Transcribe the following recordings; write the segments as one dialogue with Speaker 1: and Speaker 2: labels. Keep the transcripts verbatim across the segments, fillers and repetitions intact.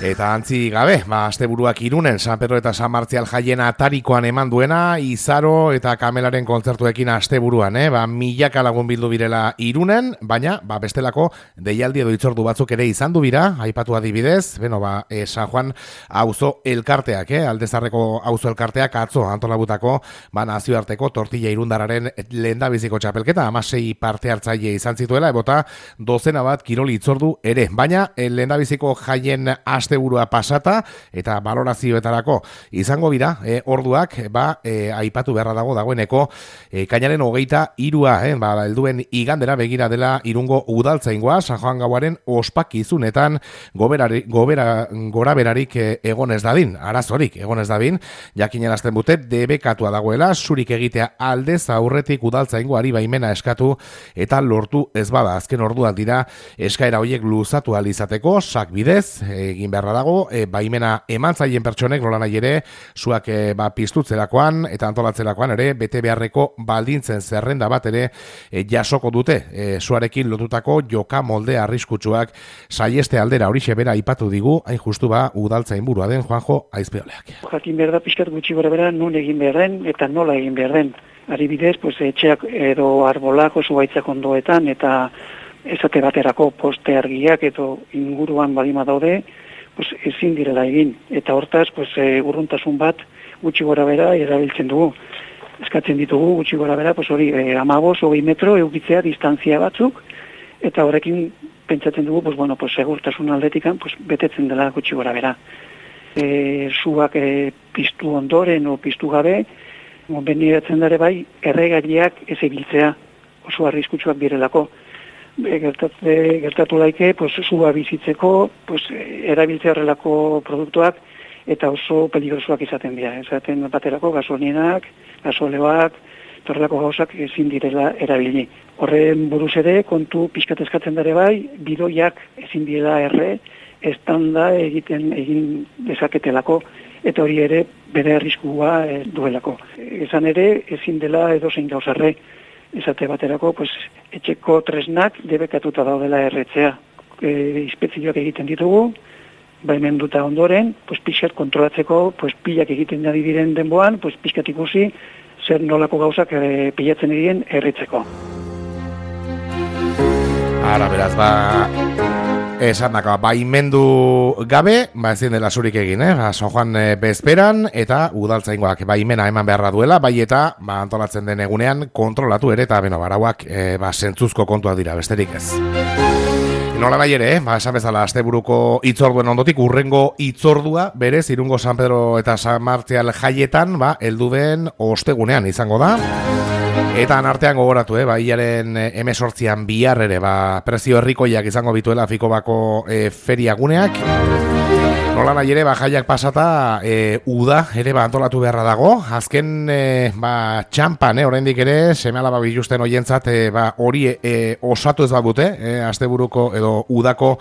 Speaker 1: Eta antzi gabe, ba, asteburuak Irunen, San Pedro eta San Martzial jaien atarikoan eman duena, Izaro eta Kamelaren kontzertuekin asteburuan, eh? Ba, milaka lagun bildu birela Irunen, baina ba, bestelako deialdi edo itzordu batzuk ere izan du bira, aipatu adibidez, beno, ba, e, San Juan auzo elkarteak, eh? Aldezarreko auzo elkarteak atzo antolabutako, ba, nazioarteko tortilla irundararen lehendabiziko txapelketa, amasei parte hartzaile izan zituela, ebota dozena bat kiroli itzordu ere, baina lehendabiziko jaien asteburua pasata eta balorazioetarako izango bira, e, orduak, ba, e, aipatu beharra dago dagoeneko, e, kainaren hogeita irua, eh, ba, helduen igandera begira dela Irungo udaltzaingoa, San Juan gauaren ospakizunetan goberari, gobera, gora berarik e, egon ez dadin, arazorik egon ez dadin, jakinen azten bute, debekatua dagoela, zurik egitea aldez aurretik udaltzaingoari baimena eskatu eta lortu ez bada, azken orduak dira eskaera horiek luzatu ahal izateko, sak bidez, egin beharra dago, e, baimena eman zaien pertsonek nola nahi ere, zuak e, ba, piztutzerakoan eta antolatzerakoan ere, bete beharreko baldintzen zerrenda bat ere e, jasoko dute, e, zuarekin lotutako joka molde arriskutsuak saieste aldera horixe bera ipatu digu, hain justu ba, udaltzain burua den Juanjo Aizpeoleak.
Speaker 2: Jakin behar da pixkat gutxi gora bera nun egin behar den eta nola egin behar den. Adibidez, pues, etxeak edo arbolak oso baitzak ondoetan eta esate baterako poste argiak edo inguruan badima daude, pues, ezin direla egin. Eta hortaz, pues, e, urruntasun bat gutxi gora bera erabiltzen dugu. Eskatzen ditugu gutxi gora bera, pues, hori e, amabos, hogei metro eukitzea distantzia batzuk, eta horrekin pentsatzen dugu, pues, bueno, pues, segurtasun aldetikan pues, betetzen dela gutxi gora bera. E, zuak e, piztu ondoren o piztu gabe, beniratzen dare bai, erregaileak ez ebiltzea, oso arriskutsuak direlako. Gertatu, gertatu daike, pues, zua bizitzeko, pues, erabiltzea horrelako produktuak, eta oso peligrosoak izaten dira. Esaten baterako gasolinak, gasoleoak, horrelako gauzak ezin direla erabili. Horren buruz ere, kontu pixkat eskatzen dare bai, bidoiak ezin direla erre, estanda egiten egin dezaketelako, eta hori ere bere arriskua e, duelako. Esan ere, ezin dela edozein gauzarre, esate baterako, pues, etxeko tresnak debekatuta daudela erretzea. E, inspekzioak egiten ditugu, baimenduta ondoren, pues, pixkat kontrolatzeko, pues, pilak egiten ari diren denboan, pues, pixkat ikusi, zer nolako gauzak e, pilatzen egin erretzeko.
Speaker 1: Ara, beraz, ba... Esan daka, baimendu gabe, ba ezin dela zurik egin, eh? Ba, San Juan e, bezperan, eta udaltzaingoak baimena eman beharra duela, bai eta ba, antolatzen den egunean kontrolatu ere, eta beno, barauak e, ba, zentzuzko kontuak dira, besterik ez. Nola nahi ere, eh? Ba, esan bezala, asteburuko itzorduen ondotik, urrengo itzordua, berez, Irungo San Pedro eta San Martzial jaietan, ba, heldu den ostegunean izango da. Eta anartean gogoratu, eh, ba, hilaren emesortzian bihar ere, ba, prezio herrikoiak izango bituela Fikobako e, feriaguneak. Nola nahi ere, ba, jaiak pasata, e, uda ere ba, antolatu beharra dago. Azken, e, ba, txampan, eh, oraindik ere, seme-alaba biluzten hoientzat, e, ba, hori e, osatu ez badute, e, asteburuko edo udako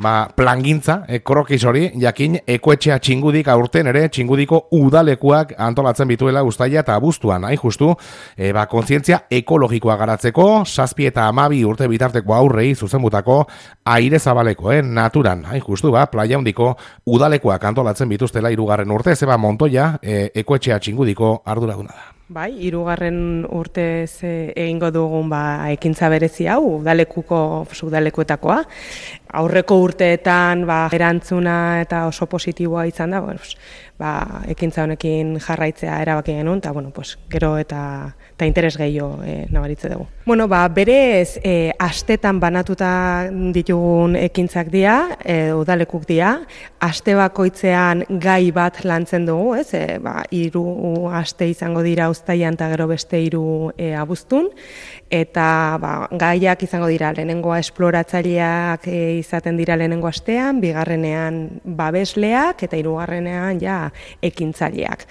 Speaker 1: ba, plangintza, e, krokis hori, jakin, ekoetxea txingudik aurten ere, txingudiko udalekuak antolatzen bituela uztaila eta abuztuan, hain justu, e, ba, kontzientzia ekologikoa garatzeko, zazpi eta amabi urte bitarteko aurrei zuzenbutako aire zabaleko, eh, naturan, hain justu, ba, playa handiko udalekuak antolatzen bituztela hirugarren urte, zeba Montoya, e, ekoetxea txingudiko arduraduna da.
Speaker 3: Bai, hirugarren urtez egingo dugun ba, ekintza berezi hau, udalekuko, udalekuetakoa. Aurreko urteetan ba, erantzuna eta oso positiboa izan da, bueno, pues, ba, ekintza honekin jarraitzea erabaki genuen, eta bueno, pues, gero eta, eta interes gehiago e, nabaritze dugu. Bueno, ba, berez, e, astetan banatuta ditugun ekintzak dira, e, udalekuk dira, aste bakoitzean gai bat lantzen dugu, ez? E, ba, hiru aste izango dira uztailan eta gero beste hiru e, abuztun, eta ba, gaiak izango dira lehenengoa esploratzaileak e, izaten dira lehenengo astean, bigarrenean babesleak eta hirugarrenean ja ekintzaileak.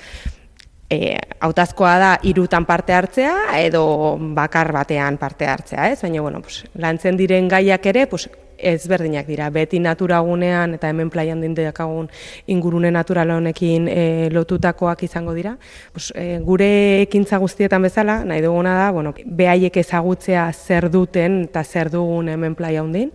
Speaker 3: E, hautazkoa da hirutan parte hartzea edo bakar batean parte hartzea, ez? Baina bueno, pues, lantzen diren gaiak ere, pues, ezberdinak dira. Beti naturagunean eta hemen plaian dindekagun ingurune natural honekin e, lotutakoak izango dira. Pues, e, gure ekintza guztietan bezala, nahi duguna da, bueno, behaiek ezagutzea zer duten eta zer dugun hemen plaia hundin.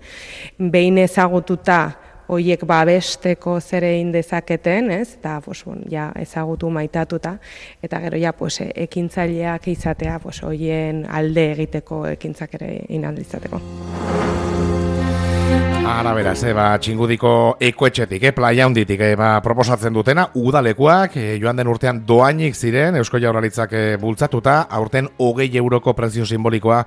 Speaker 3: Behin ezagututa hoiek babesteko zer egin dezaketen, ez? Eta pues bueno, ja ezagutu maitatuta eta gero ja pues ekintzaileak izatea, pues hoien alde egiteko ekintzak ere egin ahal izateko.
Speaker 1: Ara beraz, eh, ba, Txingudiko ekoetxetik, eh, playa hunditik, eh, ba, proposatzen dutena, udalekuak, eh, joan den urtean doainik ziren, Eusko Jaurlaritzak eh, bultzatuta, aurten hogei euroko prezio simbolikoa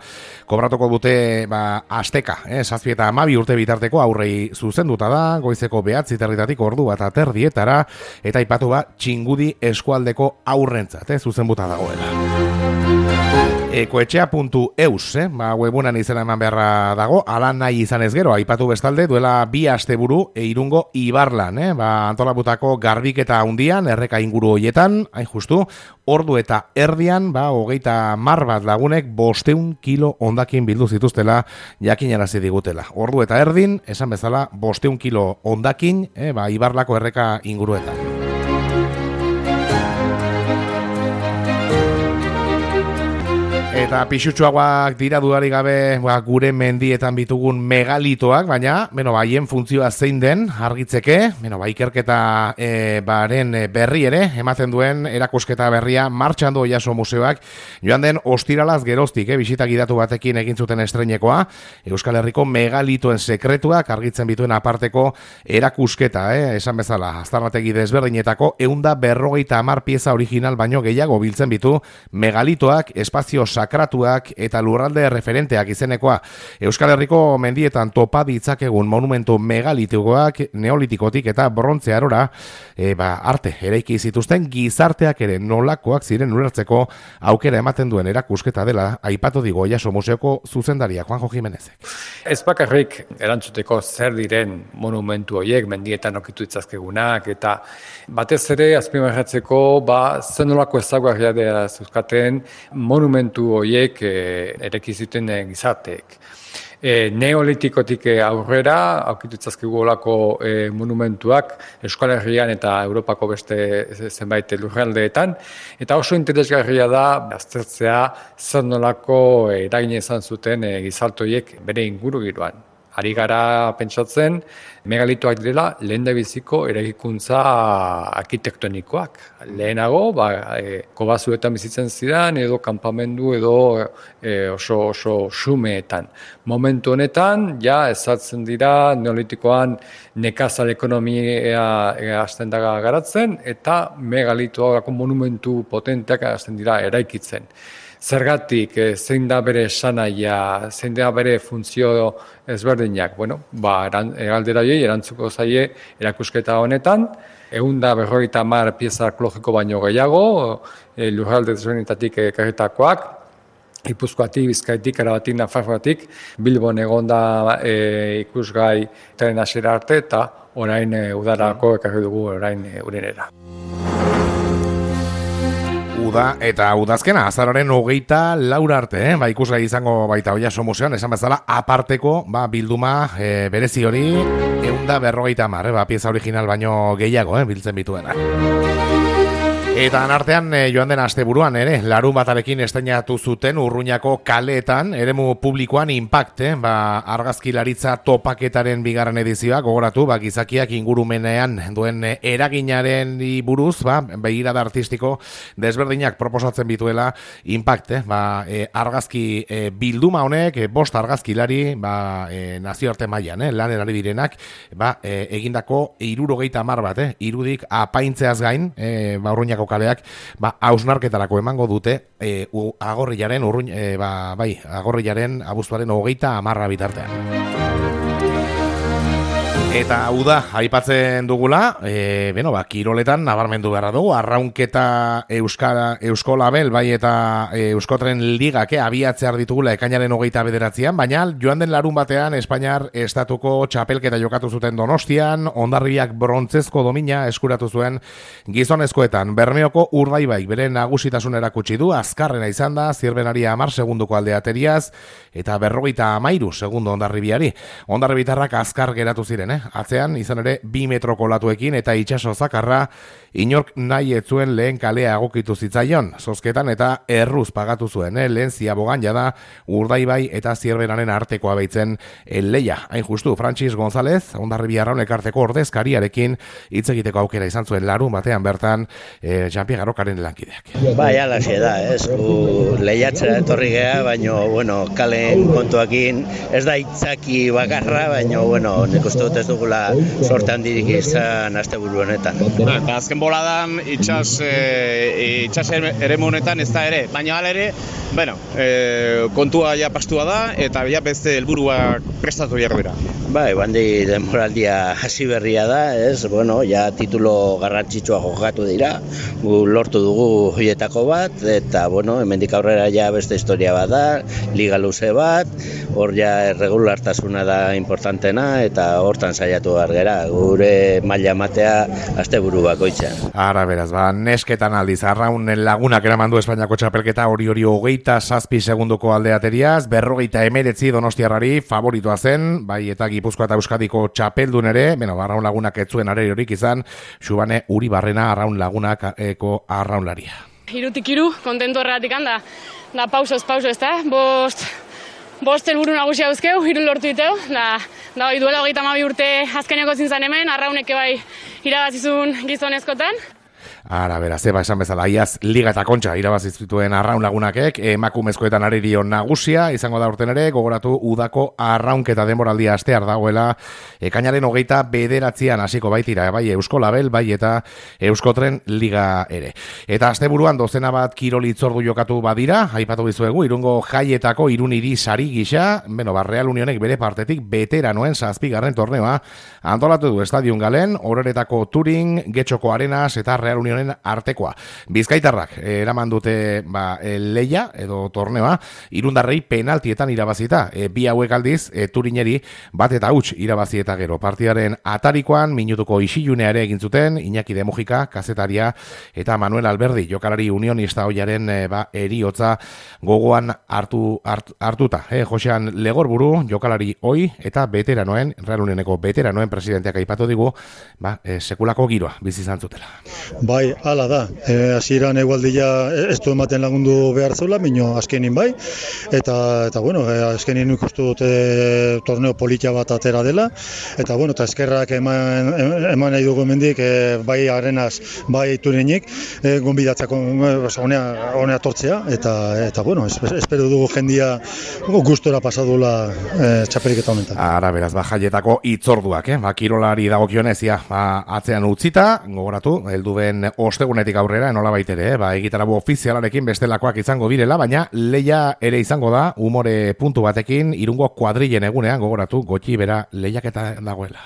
Speaker 1: kobratuko dute, ba, asteka, eh, zazpi eta amabi urte bitarteko aurrei zuzenduta da, goizeko behatzi territatik ordu bat aterdietara, eta ipatu ba, Txingudi eskualdeko aurrentzat, eh, zuzenbuta dagoela. Ekoetxea puntu eus, eh? ba, webunan izena eman beharra dago, ala nahi izan ez gero, aipatu bestalde, duela bi asteburu e, Irungo Ibarlan, eh? ba, antolabutako garbiketa hundian, erreka inguru hoietan, hain justu, ordu eta erdian, ba, hogeita mar bat lagunek bosteun kilo ondakin bildu zituztela jakinarazi digutela. Ordu eta erdin, esan bezala, bosteun kilo ondakin, eh? ba, Ibarlako erreka inguruetan. Eta pixutxoagoak dira dudarik gabe ba, gure mendietan bitugun megalitoak, baina beno, haien funtzioa zein den argitzeke, beno, ba, ikerketa e, baren berri ere, ematen duen erakusketa berria martxan du Oiaso Museoak, joan den ostiralaz geroztik, eh, bisita gidatu batekin egin zuten estreinekoa, Euskal Herriko megalitoen sekretuak argitzen bituen aparteko erakusketa, eh, esan bezala, aztarnategi desberdinetako ehun eta berrogeita hamar pieza original baino gehiago biltzen bitu megalitoak, espazio sakratuak eta lurralde referenteak izenekoa. Euskal Herriko mendietan topa ditzakegun monumentu megalitikoak neolitikotik eta brontze arora e, ba, arte eraiki zituzten gizarteak ere nolakoak ziren ulertzeko aukera ematen duen erakusketa dela aipatu digo Oiaso Museoko zuzendaria Juanjo Jimenezek.
Speaker 4: Ez bakarrik erantzuteko zer diren monumentu horiek mendietan okitu itzazkegunak eta batez ere azpimarratzeko ba zenolako ezaguarria dela zuzkaten monumentu horiek e, ereki zuten e, gizarteek. E, neolitikotik aurrera, aurkitu itzazkigu olako e, monumentuak Euskal Herrian eta Europako beste zenbait lurraldeetan, eta oso interesgarria da aztertzea zer nolako eragina izan zuten e, gizartoiek bere ingurugiroan. Ari gara pentsatzen, megalitoak direla lehendabiziko eraikuntza arkitektonikoak. Lehenago, ba, e, kobazuetan bizitzen ziren, edo kanpamendu, edo e, oso oso xumeetan. Momentu honetan, ja, ezartzen dira, neolitikoan nekazal ekonomia hasten da garatzen, eta megalitoak monumentu potenteak hasten dira eraikitzen. Zergatik, zein da bere esanaia, zein da bere funtzio ezberdinak. Bueno, ba, galdera horiei erantzuko zaie erakusketa honetan, ehun eta berrogeita hamar pieza arkeologiko baino gehiago, e, lurralde desberdinetatik ekarritakoak, Gipuzkoatik, Bizkaitik, Arabatik, Nafarroatik, Bilbon egon da e, ikusgai tren hasiera arte eta orain e, udarako ekarri dugu orain e, urenera.
Speaker 1: Uda eta udazkena, azaroren hogeita laura arte, eh? ba, ikusgai izango baita Oiaso Museoan, esan bezala, aparteko ba, bilduma e, berezi hori, ehun eta berrogeita hamar, eh? ba, pieza original baino gehiago, eh? biltzen bituena. Eta anartean e, joan den asteburuan ere, larun batarekin estreinatu zuten Urruñako kaleetan, eremu publikoan Impact, eh? ba, argazkilaritza topaketaren bigarren edizioa, gogoratu, ba, gizakiak ingurumenean duen eraginaren buruz, ba, begirada artistiko desberdinak proposatzen bituela Impact, eh? ba, e, argazki e, bilduma honek, e, bost argazkilari, ba, e, nazioarte mailan, eh? lanen ari direnak, ba, e, egindako hirurogeita hamar bat, eh? irudik apaintzeaz gain, e, ba, Urruñako kaleak ba hausnarketarako emango dute e, u, agorrilaren urruin e, ba, bai agorrilaren abuztuaren hogeita hamarra bitartean. Eta uda aipatzen dugula, e, beno, ba, kiroletan nabarmendu beharra dugu, arraunketa Euskara, Eusko Label, bai eta e, Euskotren Ligak eh, abiatzear ditugula ekainaren hogeita bederatzean, baina joan den larun batean Espainiar estatuko txapelketa jokatu zuten Donostian, Hondarribiak brontzezko domina eskuratu zuen gizonezkoetan. Bermeoko Urdaibaik bere nagusitasun erakutsi du, azkarrena izan da, zirbenari hamar segunduko aldeateriaz, eta berrogeita hamairu segundo Hondarribiari. Hondarribitarrak azkar geratu ziren, eh? eh? Atzean, izan ere, bi metroko latuekin eta itxaso zakarra, inork nahi ez zuen lehen kalea egokitu zitzaion, zozketan eta erruz pagatu zuen, eh? Lehen ziabogan jada Urdaibai eta Zierberaren artekoa baitzen leia. Hain justu, Frantxis González, Hondarribia Arraun Elkarteko ordezkariarekin hitz egiteko aukera izan zuen larun batean bertan eh, Jean-Pierre Garokaren lankideak.
Speaker 5: Bai, alaxe da, ez, gu lehiatzera etorri geha, baina, bueno, kalen kontuakin ez da itzaki bakarra, baina, bueno, nik uste dut ez dugula sorte handirik izan asteburu honetan.
Speaker 6: Eta azken boladan itxas, e, itxas eremu honetan ez da ere, baina hala ere, bueno, e, kontua ja pastua da eta ja beste helburuak prestatu behar dira.
Speaker 5: Bai, bandi denboraldia hasi berria da, ez, bueno, ja titulo garrantzitsua jokatu dira, gu lortu dugu hoietako bat, eta, bueno, hemendik aurrera ja beste historia bat da, liga luze bat, hor ja regulartasuna da importantena, eta hortan saiatu behar gera, gure maila matea asteburu bakoitzean.
Speaker 1: Ara beraz, ba, nesketan aldiz, Arraun Lagunak eraman du Espainiako txapelketa hori hori hogeita zazpi segunduko aldeateriaz, berrogeita emeretzi Donostiarrari favoritoa zen, bai eta Gipuzkoa eta Euskadiko txapeldun ere, beno, Arraun Lagunak ez zuen areriorik izan, Xubane Uribarrena Arraun Lagunak eko arraunlaria.
Speaker 7: Hirutik hiru, kontentu horregatik handa, da pausoz pauso ez da, bost, bost helburu nagusia dauzkeu, hiru lortu diteu, da, da hori duela hogeita hamabi urte azkeneko zintzen hemen, Arrauneke bai irabazizun gizonezkotan.
Speaker 1: Ara, beraz, eba esan bezala, iaz Liga eta Kontxa irabazi zituen Arraun Lagunakek, emakumezkoetan arerio nagusia, izango da urten ere, gogoratu udako arraunketa denboraldia astear dagoela, ekainaren hogeita bederatzean hasiko baitira, bai Eusko Label, bai eta Euskotren Liga ere. Eta asteburuan dozena bat kirol hitzordu jokatu badira, aipatu bizuegu, Irungo jaietako Iruniri sari gisa, beno, ba, Real Unionek bere partetik veteranoen zazpigarren torneoa, antolatu du Estadion Galen, Ororetako Turing, Getxoko Arenas eta Real Unionen artekoa. Bizkaitarrak eraman dute ba, leia edo torneoa, Irundarrei penaltietan irabazita. E, bi hauek aldiz, e, Turineri bat eta huts irabazi eta gero. Partidaren atarikoan, minutuko isilunea ere egin zuten, Iñaki de Mujika, kazetaria, eta Manuel Alberdi, jokalari unionista hoiaren e, ba, eriotza gogoan hartu, hart, hartuta. E, Josean Legorburu, jokalari hoi, eta veteranoen, Real Unioneko veteranoen presidenteak aipatu digu, ba, e, sekulako giroa bizi izan zutela.
Speaker 8: Bai, hala da. E, hasieran egualdia ez du ematen lagundu behar zeula, mino azkenin bai. Eta, eta bueno, e, azkenin ikustu dute torneo politia bat atera dela. Eta, bueno, eta eskerrak eman, eman nahi dugu mendik, e, bai Arenas, bai Turinik, e, gonbidatzako honea, honea tortzea. Eta, eta bueno, espero dugu jendia gustora pasadula e, txapeliketa honetan.
Speaker 1: Ara, beraz, ba, jaietako itzorduak, eh? Ba, kirolari dagokionez, ja, ba, atzean utzita, gogoratu, heldu ben ostegunetik aurrera, nola baitere, eh? Ba, egitarabu ofizialarekin bestelakoak izango direla, baina leia ere izango da, umore puntu batekin, Irungo kuadrilen egunean, gogoratu, gotxi bera lehiaketa dagoela.